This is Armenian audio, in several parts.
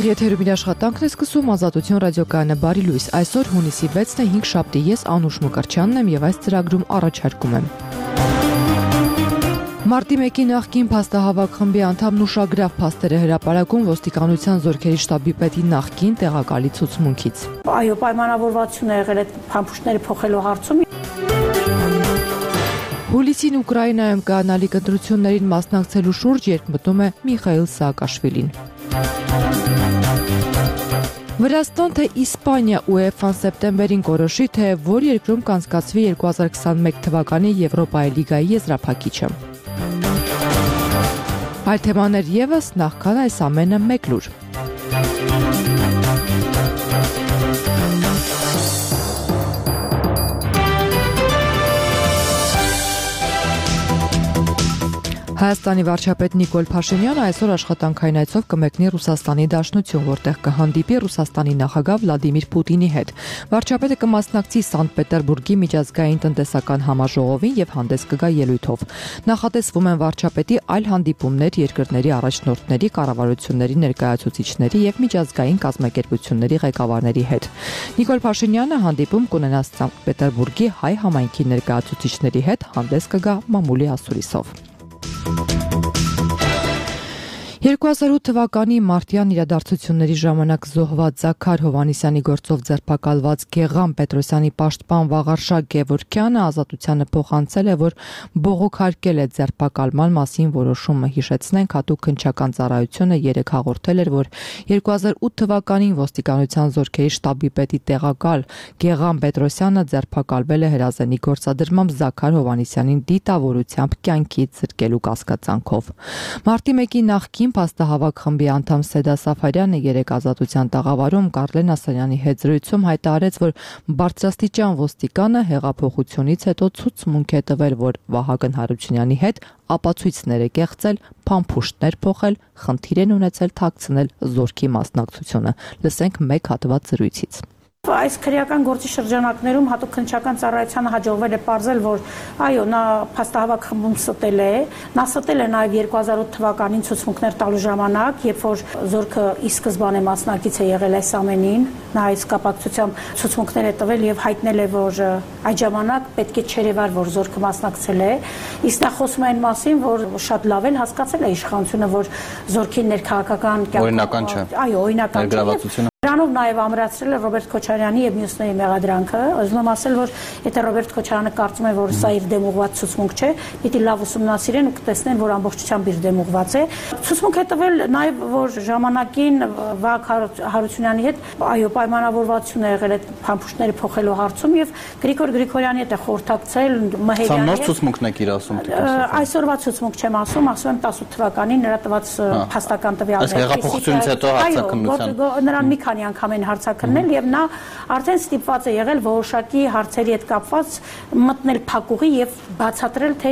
Եթերում իր աշխատանքն է սկսում Ազատություն ռադիոկայանը բարի լույս։ Այսօր հունիսի 6-ն է 5 շաբթի, ես Անուշ Մկրտչյանն եմ եւ այս ծրագրում առաջարկում եմ։ Մարտի 1-ի նախկին փաստահավաք խմբի անդամ Նուշագրավ փաստեր է հրապարակում ոստիկանության զորքերի շտաբի պետի նախկին տեղակալի ցուցմունքից։ Այո, պայմանավորվածություն է եղել այդ փամփուշտները փոխելու հարցում։ Հուլիսին Ուկրաինայում կանալիք ընտրություններին մասնակցելու շուրջ երկմտում է Միխայիլ Սաակաշվիլին։ Վրաստան թե Իսպանիա UEFA-ն սեպտեմբերին կորոշի, թե որ երկրում կանցկացվի 2021 թվականի Եվրոպայի լիգայի եզրափակիչը։ Այլ թեմաներ ևս, նախքան այս ամենը մեկ լուր։ Հայաստանի վարչապետ Նիկոլ Փաշինյանը այսօր աշխատանքային այցով կմեկնի Ռուսաստանի Դաշնություն, որտեղ կհանդիպի Ռուսաստանի նախագահ Վլադիմիր Պուտինի հետ։ Վարչապետը կմասնակցի Սանկտ Պետերբուրգի միջազգային տնտեսական համաժողովին եւ հանդես կգա ելույթով։ Նախատեսվում են վարչապետի այլ հանդիպումներ երկրների առաջնորդների, կառավարությունների ներկայացուցիչների եւ միջազգային կազմակերպությունների ղեկավարների հետ։ Նիկոլ Փաշինյանը հանդիպում կունենա Սանկտ Պետերբուրգի հայ համայնքի ներկայացուցիչների հետ, հանդես կգա մամուլի ասուլիսով։ 2008 թվականի մարտյան իրադարձությունների ժամանակ զոհված Զաքար Հովհաննիսյանի գործով ձերբակալված Գեղամ Պետրոսյանի պաշտպան Վաղարշակ Գևորգյանը ազատությանը փոխանցել է, որ բողոքարկել է ձերբակալման մասին որոշումը։ Հիշեցնենք, հատուկ քննչական ծառայությունը 3 հաղորդել էր, որ 2008 թվականին ոստիկանության զորքերի շտաբի պետի տեղակալ Գեղամ Պետրոսյանը ձերբակալվել է հրազենի գործադրմամբ Զաքար Հովհաննիսյանին դիտավորությամբ կյանքից զրկելու կասկածանքով։ Մարտի 1-ի նախկին փաստահավաք խմբի անդամ Սեդա Սաֆարյանը երեք ազատության տաղավարում Կարլեն Ասանյանի հետ զրույցում հայտարարեց, որ բարձրաստիճան ոստիկանը հեղափոխությունից հետո ցուցմունք է տվել, որ Վահագն Հարությունյանի հետ ապացույցներ է կեղծել, փամփուշտներ փոխել, խնդիր են ունեցել թաքցնել զորքի մասնակցությունը։ Լսենք մեկ հատված զրույցից։ Այս քրեական գործի շրջանակներում հատուկ քննչական ծառայությանը հաջողվել է պարզել, որ այո, նա փաստահավաք խմբում ստել է, նա ստել է նաև 2008 թվականին ցուցմունքներ տալու ժամանակ, երբ որ զորքը ի սկզբանե մասնակից է եղել այս ամենին, նա այս կապակցությամբ ցուցմունքներ է տվել եւ հայտնել է, որ այդ ժամանակ պետք է չերևար, որ զորքը մասնակցել է, իսկ նա խոսում է այն մասին, որ շատ լավ են հասկացել է իշխանությունը, որ զորքի ներքաղաքական օրինական չէ։ Այո, օրինական չէ։ Դրանով նաև ամրացրել է Ռոբերտ Քոչարյանի եւ մյուսների մեղադրանքը, ուզում եմ ասել, որ եթե Ռոբերտ Քոչարյանը կարծում է, որ սա իր դեմ ուղղված ցուցմունք չէ, պիտի լավ ուսումնասիրեն ու կտեսնեն, որ ամբողջությամբ իր դեմ ուղղված է։ Ցուցմունք է տվել նաև, որ ժամանակին Վահագն Հարությունյանի հետ այո պայմանավորվածություն է եղել այդ փամփուշտները փոխելու հարցում եւ Գրիգոր Գրիգորյանի հետ է խորհրդակցել Մհերյանի հետ։ Սա նոր ցուցմունքն եք իր ասում։ Այսօրվա ցուցմունք չեմ ասում, ասում եմ 18 թվականին նրա տված փաստական տվյալներ։ Այս հեղափոխությունից հետո հարցակնության։ Նրան մի քանի անգամ են հարցակրնել եւ նա արդեն ստիպված է եղել որոշակի հարցերի հետ կապված մտնել փակուղի եւ բացատրել, թե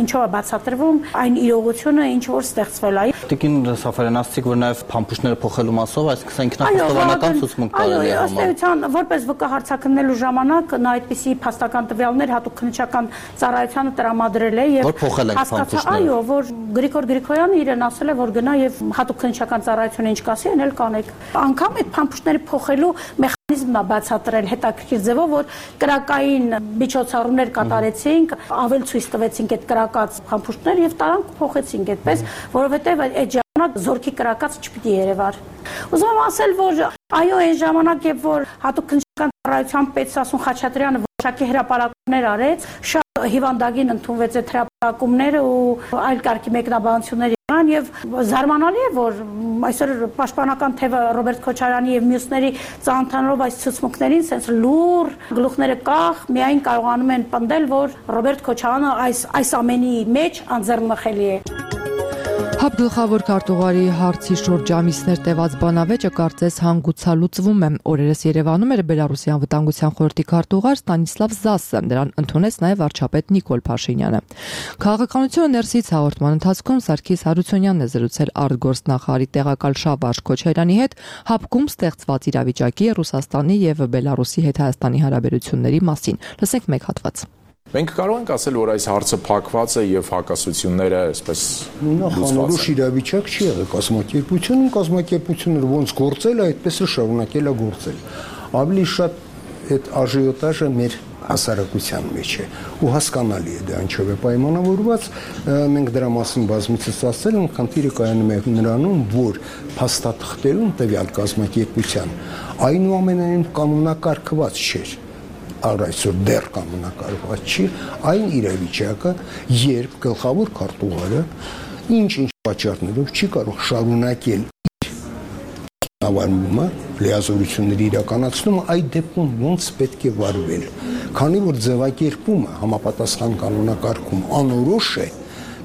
ինչով է բացատրվում այն իրողությունը, ինչ որ ստեղծվել է։ Տիկին Սաֆարյան ասացիք, որ նաեւ փամփուշտները փոխելու մասով, այսինքն ինքնախոստովանական ցուցմունք տարել է համար։ Ըստ էության, որպես ՎԿ հարցակնելու ժամանակ նա այդպիսի փաստական տվյալներ հատուկ քննչական ծառայությանը տրամադրել է եւ հասկացա, այո, որ Գրիգոր Գրիգորյանը իրեն ասել է, որ գնա եւ հատուկ քննչական ծառայությունը ինչ կասի, այն էլ կանեք։ Անկամ այդ փամփուշտները փոխելու մեխանիզմն է բացատրել հետաքրքիր ձևով, որ կրակային միջոցառումներ կատարեցինք, ավել ցույց տվեցինք այդ կրակած փամփուշտներ եւ տարանք փոխեցինք այդպես, որովհետեւ այդ ժամանակ զորքի կրակած չպիտի երևար։ Ուզում եմ ասել, որ այո, այն ժամանակ, երբ որ հատուկ քննչական ծառայության պետ Սասուն Խաչատրյանը որոշակի հրապարակումներ արեց, շատ հիվանդագին ընդունվեց այդ հրապարակումները ու այլ կարգի մեկնաբանություններ եղան եւ զարմանալի է, որ այսօր պաշտպանական թևը Ռոբերտ Քոչարյանի եւ մյուսների ծանոթանալով այս ցուցմունքներին, sense լուր գլուխները կախ, միայն կարողանում են պնդել, որ Ռոբերտ Քոչարյանը այս ամենի մեջ անձեռնմխելի է։ ՀԱԲ գլխավոր քարտուղարի հարցի շուրջ ամիսներ տևած բանավեճը կարծես հանգուցալուծվում է։ Օրերս Երևանում էր Բելարուսի անվտանգության խորհրդի քարտուղար Ստանիսլավ Զասը, նրան ընդունեց նաև վարչապետ Նիկոլ Փաշինյանը։ Քաղաքականությունը ներսից հաղորդման ընթացքում Սարգիս Հարությունյանն է զրուցել արտգործնախարարի տեղակալ Շավարժ Քոչարյանի հետ ՀԱԲ-ում ստեղծված իրավիճակի, Ռուսաստանի եւ Բելարուսի հետ Հայաստանի հարաբերությունների մասին։ Լսենք մեկ հատված։ Մենք կարող ենք ասել, որ այս հարցը փակված է եւ հակասությունները այսպես նախանորոշ իրավիճակ չի եղել կազմակերպությունը ոնց գործել է, այդպես է շարունակել է գործել։ Ավելի շատ այդ աժիոտաժը մեր հասարակության մեջ է ու հասկանալի է դա ինչով է պայմանավորված, մենք դրա մասին բազմիցս ասել ենք, խնդիրը կայանում է նրանում, որ փաստաթղթերում տվյալ կազմակերպության այնուամենայնիվ կանոնակարգված չէր, այսօր դեռ կանոնակարգված չի, այն իրավիճակը, երբ գլխավոր քարտուղարը ինչ-ինչ պատճառներով չի կարող շարունակել իր ավանդումը, լիազորությունների իրականացումը, այդ դեպքում ոնց պետք է վարվել, քանի որ ձևակերպումը համապատասխան կանոնակարգում անորոշ է,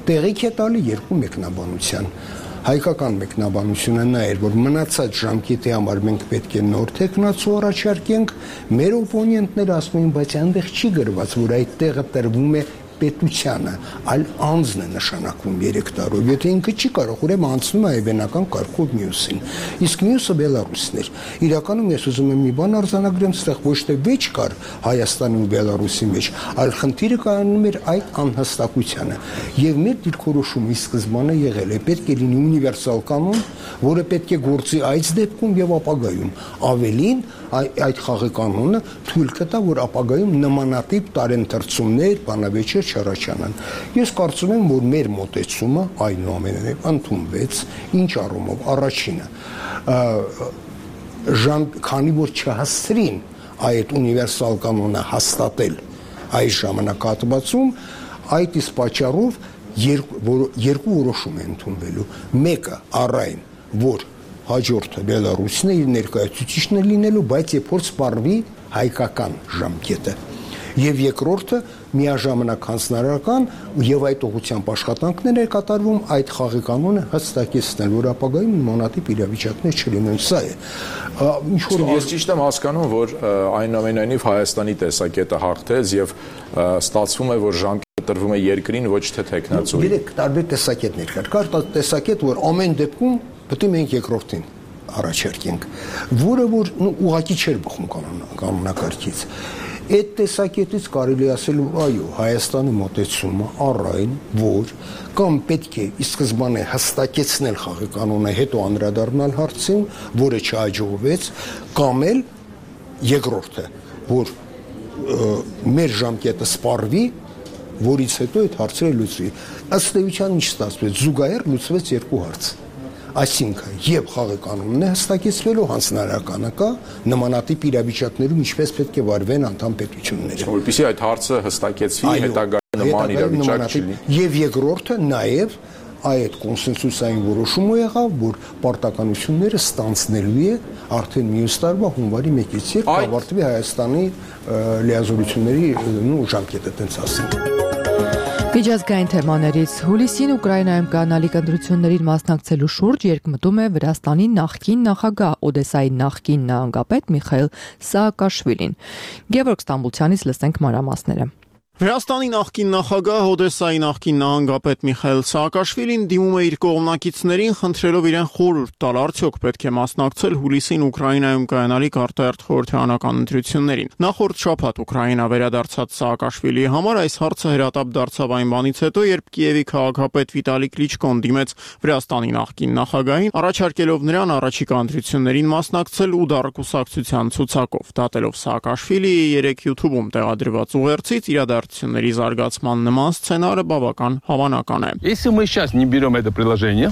տեղիք է տալի երկու մեկնաբանության։ Հայկական մեկնաբանությունը նա էր, որ մնացած ժամկետի համար մենք պետք է նոր տեխնացու առաջարկենք, մեր օպոնենտները ասում են, բայց այնտեղ չի գրված, որ այդ տեղը տրվում է պետությանը, այլ անձն է նշանակվում 3 տարով, եթե ինքը չի կարող, ուրեմն անցնում է այբենական կարգով մյուսին, իսկ մյուսը Բելարուսն էր։ Իրականում ես ուզում եմ մի բան արձանագրեմ, այստեղ ոչ թե վեճ կար Հայաստանի ու Բելարուսի մեջ, այլ խնդիրը կայանում էր այդ անհստակությանը, եւ մեր դիրքորոշումը ի սկզբանե եղել է, պետք է լինի ունիվերսալ կանոն, որը պետք է գործի այս դեպքում եւ ապագայում, ավելին այդ խաղի կանոնը թույլ կտա, որ ապագայում նմանատիպ տարենթրցումներ, բանավեճեր չառաջանան։ Ես կարծում եմ, որ մեր մոտեցումը այնուամենայնիվ ընդունվեց, ինչ առումով առաջինը, քանի որ չհասցրին այդ ունիվերսալ կանոնը հաստատել այս ժամանակահատվածում, այդ իսկ պատճառով երկու որոշում է ընդունվելու, մեկը առայն, որ հաջորդը Բելարուսն է իր ներկայացուցիչն է լինելու, բայց երբ որ սպառվի հայկական ժամկետը, եւ երկրորդը միաժամանակ հանձնարարական եւ այդ ուղղությամբ աշխատանքներ է կատարվում այդ խաղի կանոնը հստակեցնել, որ ապագայում նմանատիպ իրավիճակներ չլինեն, սա է։ Ինչ որ ես ճիշտ եմ հասկանում, որ այնուամենայնիվ Հայաստանի տեսակետը հաղթեց եւ ստացվում է, որ ժամկետը տրվում է երկրին, ոչ թե տեխնացուին։ Երեք տարբեր տեսակետներ կար։ Կար տեսակետ, որ ամեն դեպքում պետք է մենք երկրորդին առաջարկենք, որը որ ուղղակի չէր բխում կանոնակարգից։ Այդ տեսակետից կարելի ասել, այո, Հայաստանի մոտեցումը առայն, որ կամ պետք է ի սկզբանե հստակեցնել խաղի կանոնը, հետո անդրադառնալ հարցին, որը չհաջողվեց, կամ էլ երկրորդը, որ մեր ժամկետը սպառվի, որից հետո այդ հարցերը լուծվի։ Ըստ էության ինչ ստացվեց, զուգահեռ լուծվեց երկու հարց։ Այսինքն, եւ խաղի կանոնն է հստակեցվելու, հանձնարարականը կա, նմանատիպ իրավիճակներում ինչպես պետք է վարվեն անդամ պետությունները։ Որպեսզի այդ հարցը հստակեցվի, հետագայում նման իրավիճակ չլինի։ Եվ երկրորդը նաեւ այդ կոնսենսուսային որոշումը եղավ, որ պարտականությունները ստանցնելու է արդեն մյուս տարվա հունվարի 1-ից երբ կավարտվի Հայաստանի լիազորությունների ժամկետը, տենց ասենք։ Միջազգային թեմաներից հուլիսին Ուկրաինայում կանալիք ընտրություններին մասնակցելու շուրջ երկմտում է Վրաստանի նախկին նախագահ Օդեսայի նախկին նահանգապետ Միխայիլ Սաակաշվիլին։ Գևորգ Ստամբուլցյանից լսենք մանրամասները։ Վրաստանի նախկին նախագահ Օդեսայի նախկին նահանգապետ Միխայիլ Սաակաշվիլին դիմում է իր կողմնակիցներին, խնդրելով իրեն խորհուրդ տալ, արդյոք պետք է մասնակցել հուլիսին Ուկրաինայում կայանալիք արտահերթ խորհրդարանական ընտրություններին։ Նախորդ շաբաթ Ուկրաինա վերադարձած Սաակաշվիլիի համար այս հարցը հրատապ դարձավ այն բանից հետո, երբ Կիևի քաղաքապետ Վիտալի Կլիչկոն դիմեց Վրաստանի նախկին նախագահին, առաջարկելով նրան առաջիկա ընտրություններին մասնակցել ու դարակուսակցության ցուցակով։ Դատելով Սաակաշվիլիի 3 YouTube-ում տեղադրված ուղերձից իրադարձությունների զարգացման նման սցենարը բավական հավանական է։ Если мы сейчас не берем это предложение,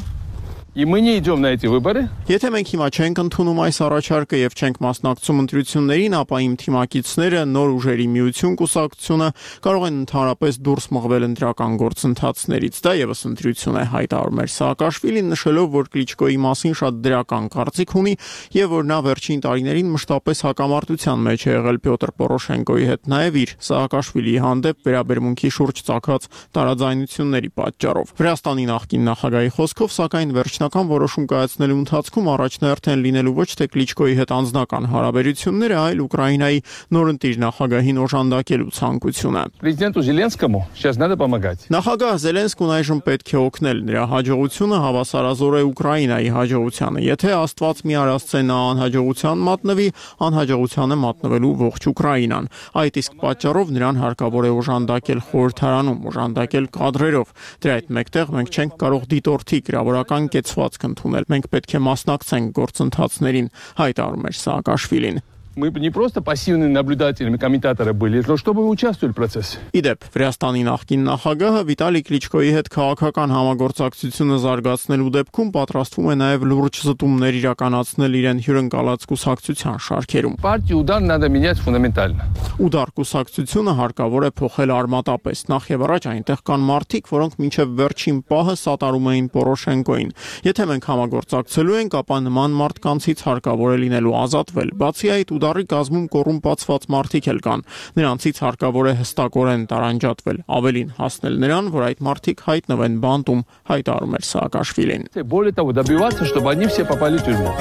и мы не идем на эти выборы, Եթե մենք հիմա չենք ընդունում այս առաջարկը եւ չենք մասնակցում ընտրություններին, ապա իմ թիմակիցները նոր ուժերի միություն կուսակցությունը կարող են ընդհանրապես դուրս մղվել ընտրական գործընթացներից։ Դա եւս ընտրություն է, հայտարարում էր Սաակաշվիլին, նշելով, որ Կլիչկոյի մասին շատ դրական կարծիք ունի եւ որ նա վերջին տարիներին մշտապես հակամարտության մեջ է եղել Պյոտր Պորոշենկոյի հետ, նաեւ իր Սաակաշվիլիի հանդեպ վերաբերմունքի շուրջ ծագած տարաձայնությունների պատճառով։ Վրաստանի նախկին նախագահի խոսքով, սակայն վերջ վերջնական որոշում կայացնելու ընթացքում առաջնահերթ են լինելու ոչ թե Կլիչկոյի հետ անձնական հարաբերությունները, այլ Ուկրաինայի նորընտիր նախագահին օժանդակելու ցանկությունը։ Президенту Зеленскому сейчас надо помогать. Նախագահ Զելենսկուն այժմ պետք է օգնել, նրա հաջողությունը հավասարազոր է Ուկրաինայի հաջողությանը։ Եթե Աստված մի արածե նա անհաջողության մատնվի, անհաջողության է մատնվելու ողջ Ուկրաինան։ Այդ իսկ պատճառով նրան հարկավոր է օժանդակել խորհրդարանում, օժանդակել կադրերով։ Դրա հետ մեկտեղ մենք չենք կարող դիտորդի գրավորական կեցվածք ընդունել։ Մենք պետք է մասնակցենք գործընթացներին, հայտարարում էր Սաակաշվիլին։ Мы не просто пассивными наблюдателями, комментаторы были, но чтобы вы участвовали в процессе. Իդեպ, Վրաստանի նախկին նախագահը Վիտալի Կլիչկոյի հետ քաղաքական համագործակցությունը զարգացնելու դեպքում պատրաստվում է նաև լուրջ զտումներ իրականացնել իրեն հյուրընկալած կուսակցության շարքերում։ Партию «Удар» надо менять фундаментально. Ուդար կուսակցությունը հարկավոր է փոխել արմատապես։ Նախ եւ առաջ այնտեղ կան մարդիկ, որոնք մինչեւ վերջին պահը սատարում էին Պորոշենկոին։ Եթե մենք համագործակցելու ենք, ապա նման մարդկանցից հարկավոր է լինելու ազատվել։ Բացի այդ, Ուդարի կազմում կոռումպացված մարդիկ էլ կան։ Նրանցից հարկավոր է հստակորեն տարանջատվել, ավելին հասնել նրան, որ այդ մարդիկ հայտնվեն բանտում, հայտարարում էր Սաակաշվիլին։ Более того, добиваться, чтобы они все попали в тюрьму.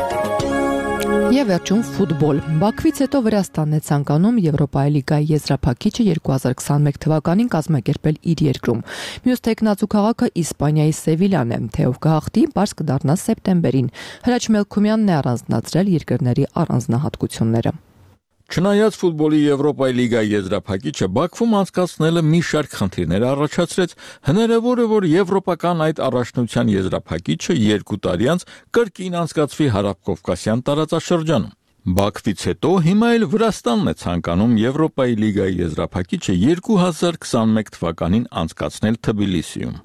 Եվ վերջում ֆուտբոլ։ Բաքվից հետո Վրաստանն է ցանկանում Եվրոպայի լիգայի եզրափակիչը 2021 թվականին կազմակերպել իր երկրում։ Մյուս տեխնացու քաղաքը Իսպանիայի Սևիլյան է, թե ով կհաղթի, բաց կդառնա սեպտեմբերին։ Հրաչ Մելքումյանն է առանձնացրել երկրների առանձնահատկությունները։ Չնայած ֆուտբոլի Եվրոպայի լիգայի եզրափակիչը Բաքվում անցկացնելը մի շարք խնդիրներ առաջացրեց, հնարավոր է, որ եվրոպական այդ առաջնության եզրափակիչը 2 տարի անց կրկին անցկացվի Հարավկովկասյան տարածաշրջանում։ Բաքվից հետո հիմա էլ Վրաստանն է ցանկանում Եվրոպայի լիգայի եզրափակիչը 2021 թվականին անցկացնել Թբիլիսիում։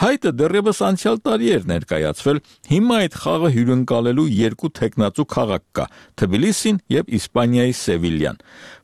Հայտը դեռևս անցյալ տարի էր ներկայացվել, հիմա այդ խաղը հյուրընկալելու 2 տեխնացու քաղաք կա՝ Թբիլիսին եւ Իսպանիայի Սևիլյան։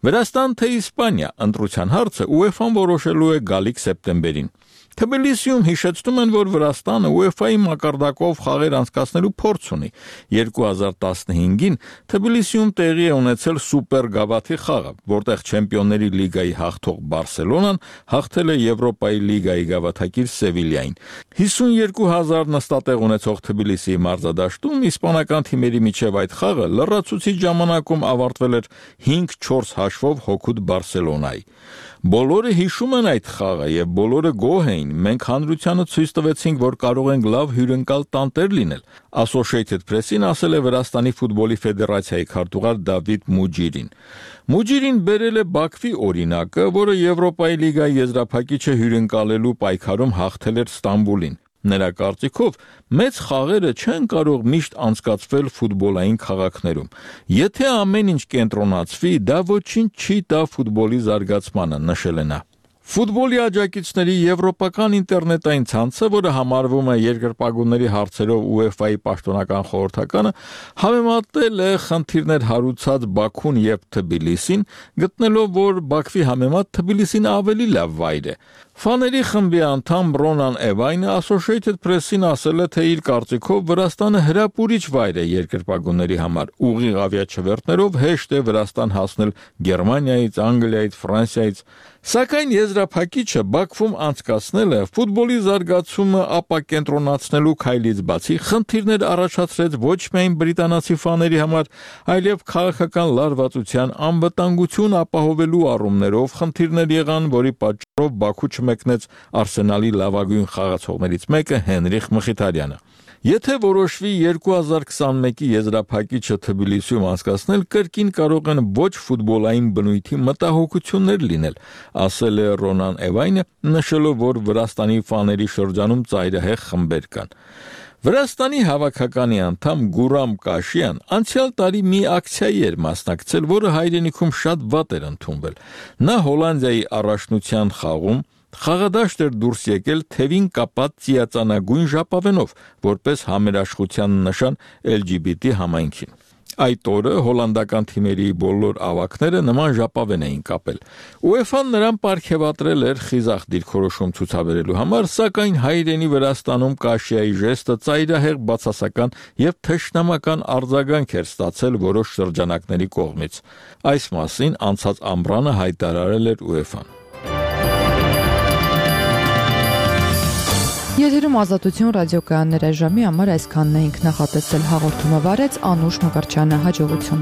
Վրաստան թե Իսպանիա, ընտրության հարցը UEFA-ն որոշելու է գալիք սեպտեմբերին։ Թբիլիսիում հիշեցնում են, որ Վրաստանը UEFA-ի մակարդակով խաղեր անցկացնելու փորձ ունի։ 2015-ին Թբիլիսիում տեղի է ունեցել Սուպեր Գավաթի խաղը, որտեղ Չեմպիոնների լիգայի հաղթող Բարսելոնան հաղթել է Եվրոպայի լիգայի գավաթակիր Սևիլիային։ 52,000 նստատեղ ունեցող Թբիլիսիի մարզադաշտում իսպանական թիմերի միջև այդ խաղը լրացուցիչ ժամանակում ավարտվել էր 5-4 հաշվով հօգուտ Բարսելոնայի։ Բոլորը հիշում են այդ խաղը եւ բոլորը գոհ էին։ Մենք հանրությանը ցույց տվեցինք, որ կարող ենք լավ հյուրընկալ տանտեր լինել։ Associated Press-ին ասել է Վրաստանի ֆուտբոլի ֆեդերացիայի քարտուղար Դավիթ Մուջիրին։ Մուջիրին բերել է Բաքվի օրինակը, որը Եվրոպայի լիգայի եզրափակիչը հյուրընկալելու պայքարում հաղթել էր Ստամբուլին։ Նրա կարծիքով մեծ խաղերը չեն կարող միշտ անցկացվել ֆուտբոլային քաղաքներում։ Եթե ամեն ինչ կենտրոնացվի, դա ոչինչ չի տա ֆուտբոլի զարգացմանը, նշել է նա։ Ֆուտբոլի աջակիցների եվրոպական ինտերնետային ցանցը, որը համարվում է երկրպագուների հարցերով UEFA-ի պաշտոնական խորհրդականը, համեմատել է խնդիրներ հարուցած Բաքուն եւ Թբիլիսին, գտնելով, որ Բաքվի համեմատ Թբիլիսին ավելի լավ վայր է։ Ֆաների խմբի անդամ Ռոնան Էվայնը Associated Press-ին ասել է, թե իր կարծիքով Վրաստանը հրապուրիչ վայր է երկրպագուների համար։ Ուղիղ ավիաչվերթներով հեշտ է Վրաստան հասնել Գերմանիայից, Անգլիայից, Ֆրանսիայից։ Սակայն եզրափակիչը Բաքվում անցկացնելը ֆուտբոլի զարգացումը ապակենտրոնացնելու քայլից բացի խնդիրներ առաջացրեց ոչ միայն բրիտանացի ֆաների համար, այլև քաղաքական լարվածության անվտանգություն ապահովելու առումներով խնդիրներ եղան, որի պատճառով Բաքու չմեկնեց Արսենալի լավագույն խաղացողներից մեկը Հենրիխ Մխիթարյանը։ Եթե որոշվի 2021-ի եզրափակիչը Թբիլիսիում անցկացնել, կրկին կարող են ոչ ֆուտբոլային բնույթի մտահոգություններ լինել, ասել է Ռոնան Էվայնը, նշելով, որ Վրաստանի ֆաների շրջանում ծայրահեղ խմբեր կան։ Վրաստանի հավաքականի անդամ Գուրամ Կաշյան անցյալ տարի մի ակցիայի էր մասնակցել, որը հայրենիքում շատ վատ էր ընդունվել։ Նա Հոլանդիայի առաջնության խաղում խաղադաշտ էր դուրս եկել թևին կապած ծիածանագույն ժապավենով, որպես համերաշխության նշան LGBT համայնքին։ Այդ օրը հոլանդական թիմերի բոլոր ավակները նման ժապավեն էին կապել։ UEFA-ն նրան պարգևատրել էր խիզախ դիրքորոշում ցուցաբերելու համար, սակայն հայրենի Վրաստանում Կաշիայի ժեստը ծայրահեղ բացասական եւ թշնամական արձագանք էր ստացել որոշ շրջանակների կողմից։ Այս մասին անցած ամռանը հայտարարել էր UEFA-ն։ Եթերում Ազատություն ռադիոկայաններ ժամի համար այսքանն էինք նախատեսել հաղորդումը վարեց Անուշ Մկրտչյանը հաջողություն